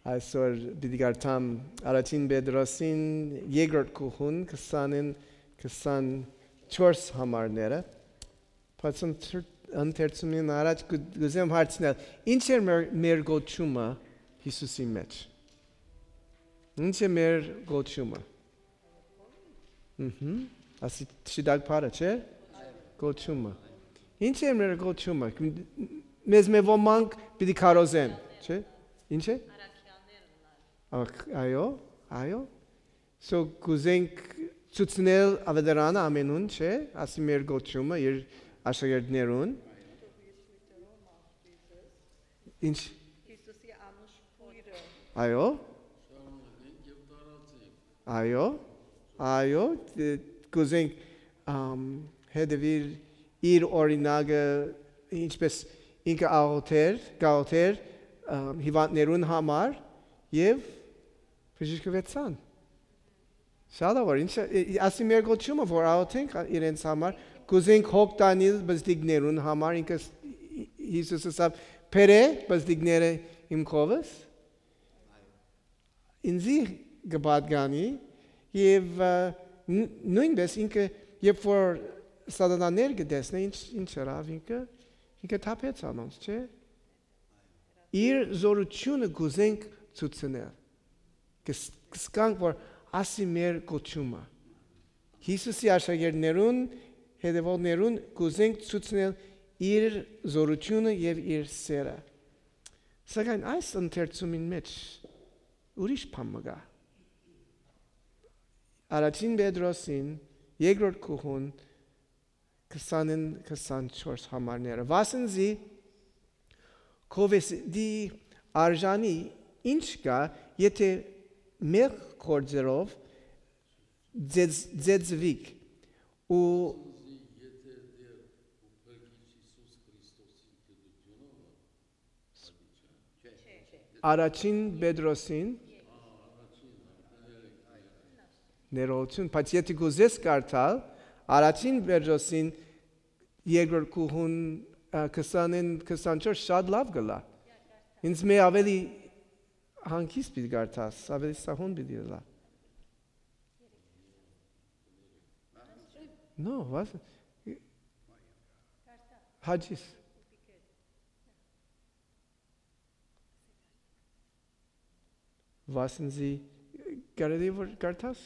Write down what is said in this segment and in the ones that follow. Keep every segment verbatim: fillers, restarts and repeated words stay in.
Այսօր պիտի կարդամ առաջին Պետրոսին երկրորդ գլխուն քսանին քսանչորս համարները, բայց ընթեր-, ընթերցումին առաջ կու-, կուզեմ հարցնել, ինչ էր մեր, մեր գոչումը Յիսուսի մեջ։ Ինչ է մեր գոչումը։ Մհմ։ Ասի չդակ փարը, չէ՞։ Գոչումը։ Ինչ է մեր գոչումը։ Մեզ մե ոմանք պիտի քարոզեն, չէ՞։ Ինչ է։ Ակ- այո, այո։ So կուզենք ցուցնել ավետարանը ամենուն, չէ՞։ Ասի մեր գոչումը իր աշակերտներուն։ Ինչ։ Այո։ Այո, այո, դե, կուզենք, ամ, հետևել իր օրինակը, ինչպես ինքը աղոթեր, կաղոթեր, ամ, հիվանդներուն համար եւ բժշկուեցան։ Շատ ա, որ ինչ, ը, ը, ասի մեր գոչումը, որ աղոթենք իրենց համար, կուզենք հոգ տանիլ բզդիկներուն համար, ինքը ս-, Յիսուս ըսաւ, «Բերէ բզդիկները իմ քովս»։ Ինձի կը պատկանի, եւ, ը, ն-, նոյնպէս ինքը, երբ որ սատանաներ կը տեսնէ, ինչ, ինչ ըրաւ ինքը, ինքը թափեց անոնց, չէ՞։ Իր զօրութիւնը կուզենք ցուցնել։ Կս-, կսկանք, որ ասի մեր կոչումը։ Յիսուսի աշակերտներուն, հետևողներուն կուզենք ցուցնել իր զօրութիւնը եւ իր սերը։ Սակայն այս ընթերցումին մեջ ուրիշ բան մը կայ։ Առաջին Պետրոսին, երկրորդ գլխուն, քսանին քսանչորս համարները։ Վասն զի քովեստի արժանի ինչ կայ, եթէ մեղք գործերով ձեզ-, ձեզվիք ու առաջին Պետրոսին ներողություն, բայց եթե կուզես կարդալ, առաջին Պետրոսին երկրորդ գլխուն, ա, քսանին քսանչորս շատ լաւ կ'ըլլայ։ Ինձ մէ աւելի հանգիստ պիտի կարդաս, աւելի սահուն պիտի ըլլայ։ No, was Հաջիս։ Վասն զի, կարելի որ կարդաս։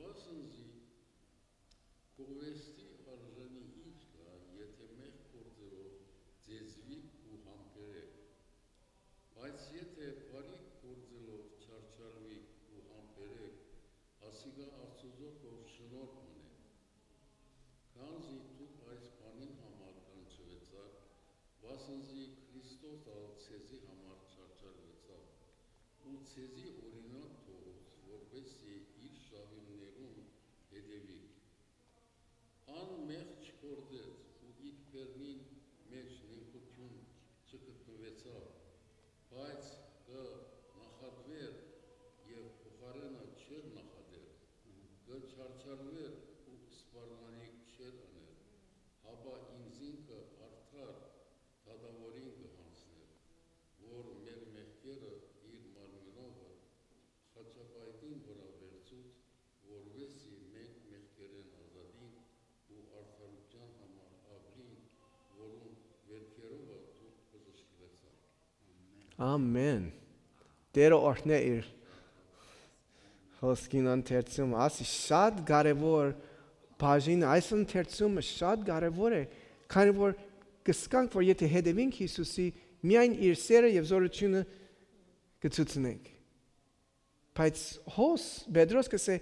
Վասն զի քովեստի արժանի ինչ կայ, եթէ մեղք գործերով ձեզվիք ու համբերեք։ Բայց եթէ բարի գործերով չարչարուիք ու համբերեք, ասիկա Աստուծոյ թող շնորհ մնէ։ Քանզի դուք այս բանին համար կանչուեցաք, վասն զի Քրիստոս ալ ձեզի համար չարչարուեցաւ ու ձեզի օրինակ թողուց, որպէս զի իր շահիւններուն հետեւիք։ Ան մեղք չգործեց ու իր բերնին մէջ նենգութիւն չգտնուեցաւ, բայց կը նախատուէր եւ փոխարէնը չէր նախատեր, կը չարչարուէր ու սպառնալիք չէր ըներ, հապա ինքզինքը արդար դատաւորին կը յանձներ, որ մեր մեղքերը իր մարմինովը խաչապայտին վրայ վերցուց, որպէս զի մենք մեղքերէն ազատինք ու արդարութեան համար ապրինք, որուն վերքերովը դուք բժշկուեցաք։ Ամեն։ Տերը օրհնէ իր հոսքին ընթերցումը։ Ասի շատ կարևոր բաժին, այս ընթերցումը շատ կարևոր է, քանի որ կսկանք, որ եթե հետևինք Յիսուսի, միայն իր սերը եւ զօրութիւնը կցուցնենք։ Բայց հոս Պետրոս կ'ըսէ,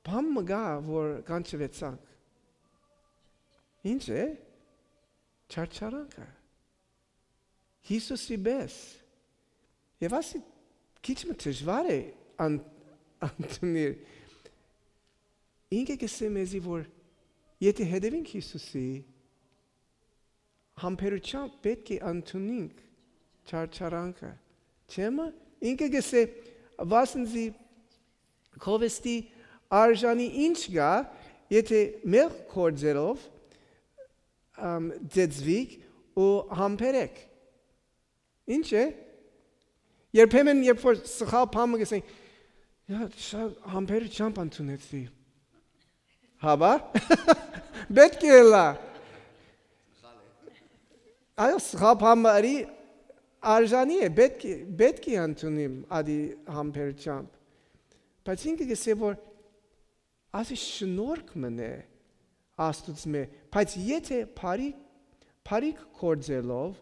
բան մը կայ, որ կանչուեցանք։ Ինչ է։ Չարչարանքը։ Յիսուսի պես։ Եւ ասի, քիչ մը դժուար է ան-, ընդունիլ։ Ինքը կ'ըսէ մեզի, որ եթե հետևինք Յիսուսի, համբերությամբ պէտք է ընդունինք չարչարանքը։ Չէ՞ մը։ Ինքը կ'ըսէ, վասն զի քովեստի արժանի ինչ կայ, եթե մեղք գործերով, ամ, ձեզվիք ու համբերեք։ Ինչ է։ Երբեմն, երբ որ սխալ բան մը կ'ըսենք, «Յա, շատ համբերությամբ ընդունեցի»։ Հապա, պէտք է ըլլայ։ Այո, սխալ բան մը ըրի, արժանի է, պէտք է, պէտք է ընդունիմ ատի համբերությամբ։ Բայց ինքը կ'ըսէ, որ ասի շնորհք մըն է Աստուծմէ, բայց եթէ բարի, բարիք գործելով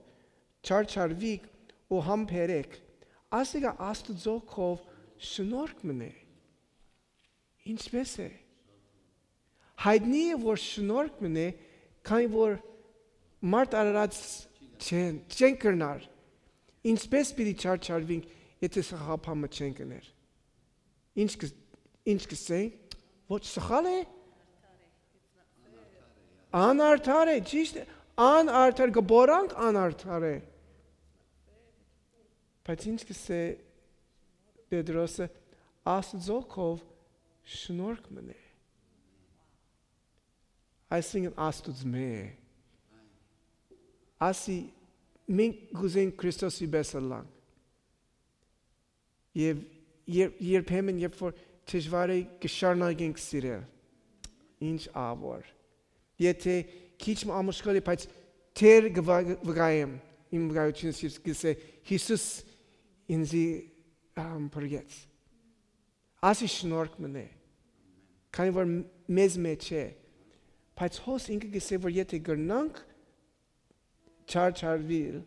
չարչարուիք ու համբերեք, ասիկա Աստուծոյ քով շնորհք մըն է։ Ինչպե՞ս է։ Յայտնի է, որ շնորհք մըն է, քանի որ մարդ արարած չեն, չեն կրնար։ Ինչպե՞ս պիտի չարչարուինք, եթէ սխալ բան մը չենք ըներ։ Ինչ կը, ինչ կ'ըսենք, ոչ սխալ է, անարդար է, ճիշտ է, անարդար, կը բորանք անարդար է։ Բայց ինչ կ'ըսէ Պետրոսը, Աստուծոյ քով շնորհք մըն է։ Այսինքն Աստուծմէ է։ Ասի, մենք կ'ուզենք Քրիստոսի պէս ըլլանք։ Եւ երբ, երբեմն, երբ որ դժուար է, կը շարունակենք սիրել։ Ինչ ավոր։ Եթէ քիչ մը ամուսկոլ է, բայց դեռ կը վա-, վկայեմ, իմ վկայությունս ես կ'ըսէ, Յիսուս ինծի, ամ, փրկեց։ Ասի շնորհք մըն է, քանի որ մ-, մեզ մէջ է, բայց հոս ինքը կ'ըսէ, որ եթէ կրնանք չարչարուիլ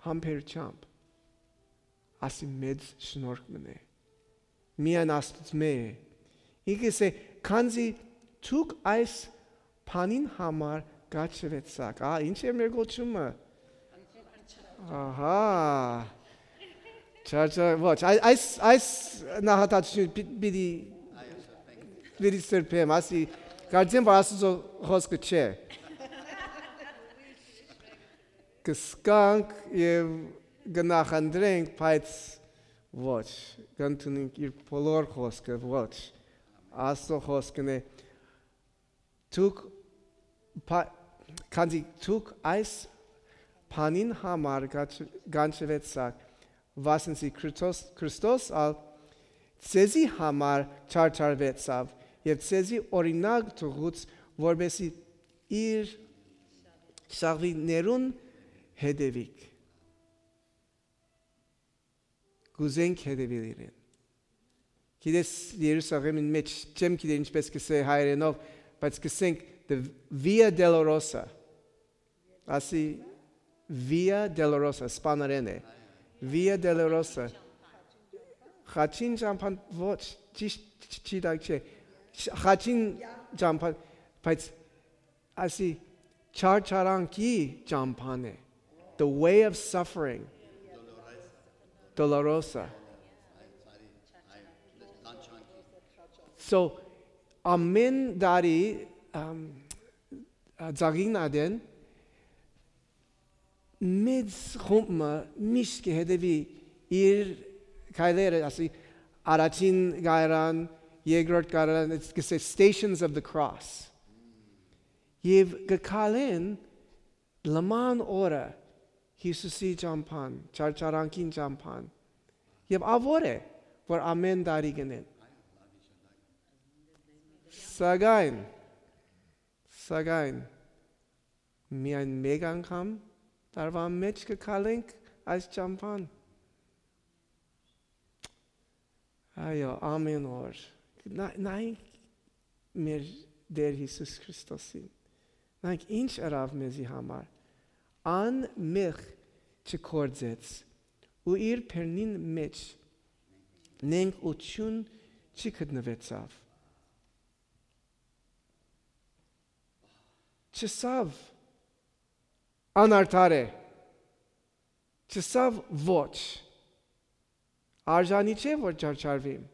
համբերությամբ, ասի մեծ շնորհք մըն է, միայն Աստուծմէ է։ Ինքը կ'ըսէ, քանզի դուք այս բանին համար կաչուեցաք։ Ա, ինչ է մեր գոչումը։ Ահա, չարչար, ոչ, այ-, այս, այս նահատացությունը պի-, պիտի, պիտի սրբեմ, ասի, կարծեմ, որ Աստուծոյ խօսքը չէ։ Կ'սկանք եւ կը նախընտրենք, բայց ոչ, կ'ընդունենք իր բոլոր խօսքը, ոչ, Աստուծոյ խօսքն է, դուք, պա-, քանզի դուք այս բանին համար կաչ-, կանչուեցաք, վասն զի Քրիստոս, Քրիստոս ալ ձեզի համար չարչարուեցաւ եւ ձեզի օրինակ թողուց, որպեսզի իր շաղվիներուն հետեւիք։ Կ'ուզենք հետեւիլ իրեն։ Գիտես, Երուսաղեմին մէջ, չեմ գիտեր ինչպես կ'ըսէ հայերէնով, բայց կ'ըսենք the Via Dolorosa։ Ասի Via Dolorosa, սպաներէն է։ Via Dolorosa։ Խաչին ճամփան, ոչ, ճիշտ չ-, չ-, չի տակ չէ։ Չ-, խաչին ճամփան, բայց ասի չարչարանքի ճամփան է։ The way of suffering. Dolorosa. So, ամեն տարի, ամ, ա, ծաղիկին ատեն, մեծ խումբ մը միշտ կը հետևի իր քայլերը, ասի, առաջին կայարան, երկրորդ կայարան, it's, կը say Stations of the Cross։ Եւ կը քալեն լման օրը Յիսուսի ճամփան, չարչարանքին ճամփան։ Եւ ավոր է, որ ամեն տարի գնեն։ Սակայն, սակայն, միայն մեկ անգամ տարուան մէջ կը քալենք այս ճամփան։ Այո, ամեն օր։ Նա-, նայենք մեր Տեր Յիսուս Քրիստոսին։ Նայենք ինչ ըրաւ մեզի համար։ Ան մեղք չգործեց ու իր բերնին մէջ նենգ ու չուն չի գտնուեցաւ։ Չըսաւ անարդար է, չըսաւ ոչ, արժանի չէ որ չարչարվիմ։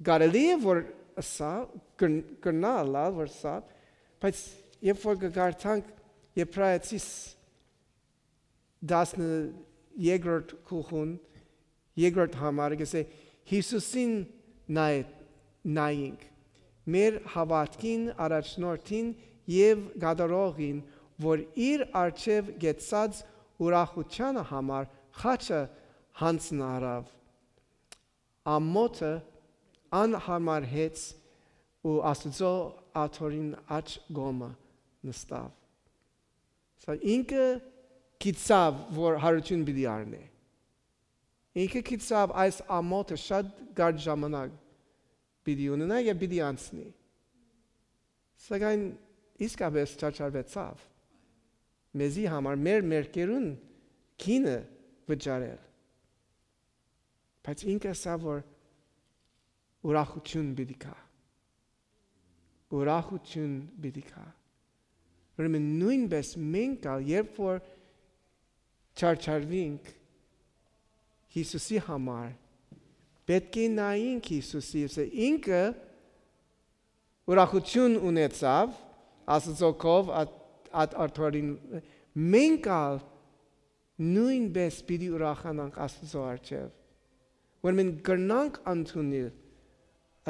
Կարելի է որ ըսա, կր-, կրնայ ըլլալ որ ըսա, բայց երբ որ կը կարդանք Եբրայեցիս տասներկրորդ գլխուն, երկրորդ համարը կ'ըսէ. «Յիսուսին նայ-, նայինք, մեր հաւատքին առաջնորդին եւ կատարողին, որ իր առջեւ կեցած ուրախութեանը համար Խաչը յանձն առաւ, ամօթը անհամարհեց ու Աստուծոյ աթոռին աջ կողմը նստաւ։ Սա ինքը գիտցաւ որ յարութիւն պիտի առնէ։ Ինքը գիտցաւ այս ամօթը շատ կարճ ժամանակ պիտի ունենայ եւ պիտի անցնի։ Սակայն իսկապէս չարչարուեցաւ մեզի համար մեր մեղքերուն գինը վճարել։ Բայց ինքը ըսաւ որ ուրախութիւն պիտի գայ։ Ուրախութիւն պիտի գայ։ Ուրեմն նոյնպէս մենք ալ երբ որ չարչարուինք Յիսուսի համար, պէտք է նայինք Յիսուսի, եւ ինքը ուրախութիւն ունեցաւ Աստուծոյ կով, այդ, այդ աթոռին, մենք ալ նոյնպէս պիտի ուրախանանք Աստուծոյ առջեւ, որ մենք կրնանք ընդունիլ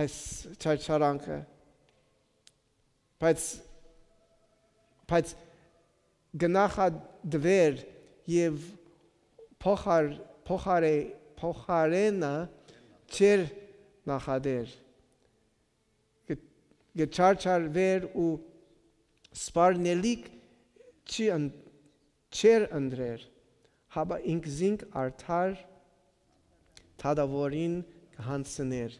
այս չարչարանքը, բայց, բայց կը նախատուէր եւ փոխար-, փոխարէ-, փոխարենը չէր նախատուեր, կը, կը չարչարուէր ու սպառնելիք չի ըն-, չէր ընտրեր, հապա ինքզինք արդար դատաւորին կը յանձնէր։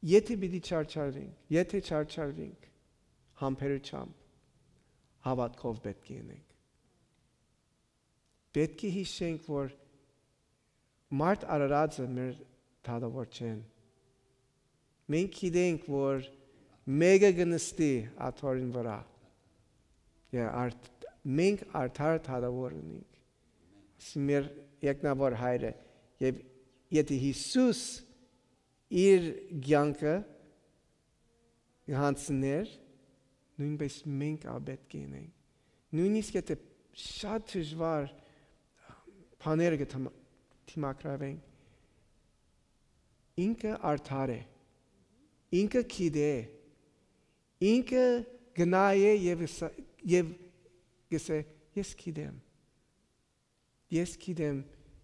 Եթէ պիտի չարչարուինք, եթէ չարչարուինք համբերությամբ, հաւատքով պէտք է ընենք։ Պէտք է յիշենք որ մարդ արարածը մեր դատաւոր չեն։ Մենք գիտենք որ մէկը կը նստի աթոռին վրայ։ Եթէ արդ-, մենք արդար դատաւոր ունենք։ Ասի մեր երկնաւոր Հայրը, եւ եթէ Յիսուս իր կեանքը կը յանձնէր, նոյնպէս մենք ալ պէտք է ընենք։ Նոյնիսկ եթէ շատ դժուար բաները կը դիմ-, դիմագրաւենք, ինքը արդար է, ինքը գիտէ, ինքը կը նայէ եւ ըսա-, եւ կ'ըսէ. «Ես գիտեմ, ես գիտեմ,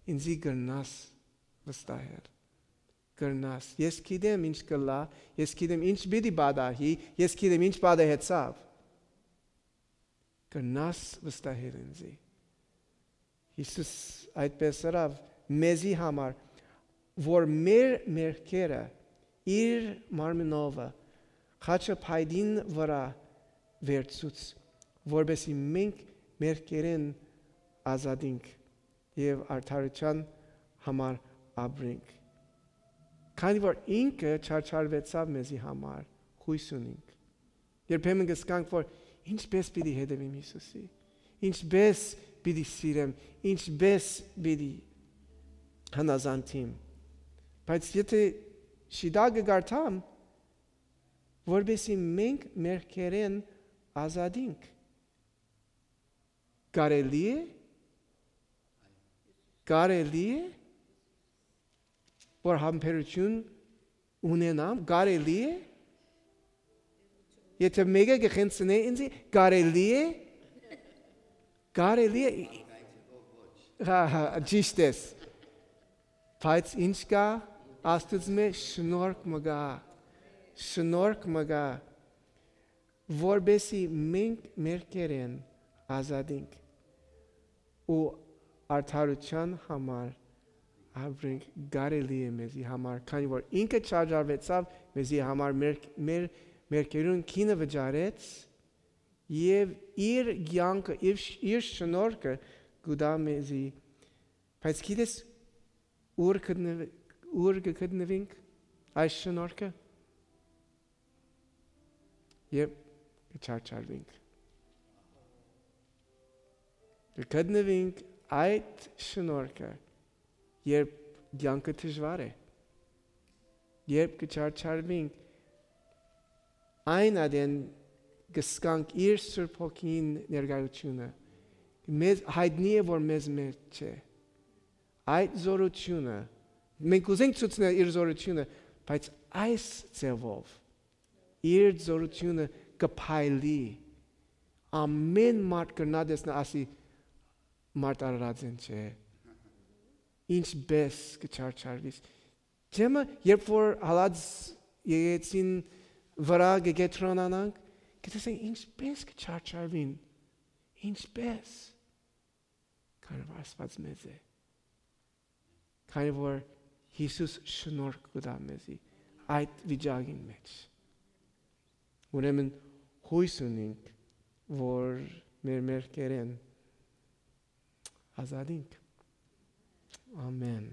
ինծի կրնաս վստահել, կրնաս, ես գիտեմ ինչ կ'ըլլայ, ես գիտեմ ինչ պիտի պատահի, ես գիտեմ ինչ պատահեցաւ, կրնաս վստահել ինծի»։ Յիսուս այդպէս ըրաւ մեզի համար, որ մեր մեղքերը իր մարմնովը խաչը փայտին վրայ վերցուց, որպեսզի մենք մեղքերէն ազատինք եւ արդարութեան համար ապրենք։ Քանի որ ինքը չարչարուեցաւ մեզի համար, յոյս ունինք։ Երբեմն կ'ըսկանք որ ինչպէս պիտի հետեւեմ Յիսուսի, ինչպէս պիտի սիրեմ, ինչպէս պիտի հնազանդիմ։ Բայց եթէ շիտակը կարդամ, որպեսզի մենք մեղքերէն ազատինք, կարելի՞ է, կարելի՞ է որ համբերութիւն ունենամ, կարելի՞ է, եթէ մէկը կը խնդրէ ինձի, կարելի՞ է, կարելի՞ է։ Հա, հա, ճիշդ ես։ Բայց ինչ կայ Աստուծմէ, շնորհք մը կայ, շնորհք մը կայ, որպեսզի մենք մեղքերէն ազատինք ու արդարութեան համար ապրենք, կարելի է մեզի համար, քանի որ ինքը չարչարուեցաւ մեզի համար, մեր, մեր մեղքերուն գինը վճարեց եւ իր կեանքը, իր, իր շնորհքը կու տայ մեզի։ Բայց գիտես ո՞ւր գտնվ-, ո՞ւր կը գտնուինք այս շնորհքը, երբ կը չարչարուինք։ Կը գտնուինք այդ շնորհքը, երբ կեանքը դժուար է, երբ կը չարչարուինք, այն ատեն կ'ըսկանք իր Սուրբ Հոգին ներկայութիւնը։ Մեզ յայտնի է որ մեզ մէջ չէ։ Այդ զօրութիւնը, մենք կ'ուզենք ցուցնել իր զօրութիւնը, բայց այս ձևով իր զօրութիւնը կը փայլի, ամէն մարդ կրնայ տեսնայ, ասի, մարդ արարածէն չէ։ Ինչպէս կը չարչարվիս։ Չէ՞ մը, երբ որ հալած եկեցին վրայ կը կեդրոնանանք, կը տեսնենք ինչպէս կը չարչարվին, ինչպէս, քանի որ Աստուած մեծ է, քանի որ Յիսուս շնորհք կու տայ մեզի այդ վիճակին մէջ։ Ուրեմն յոյս ունինք, որ մեր մեղքերէն ազատինք։ Ամեն։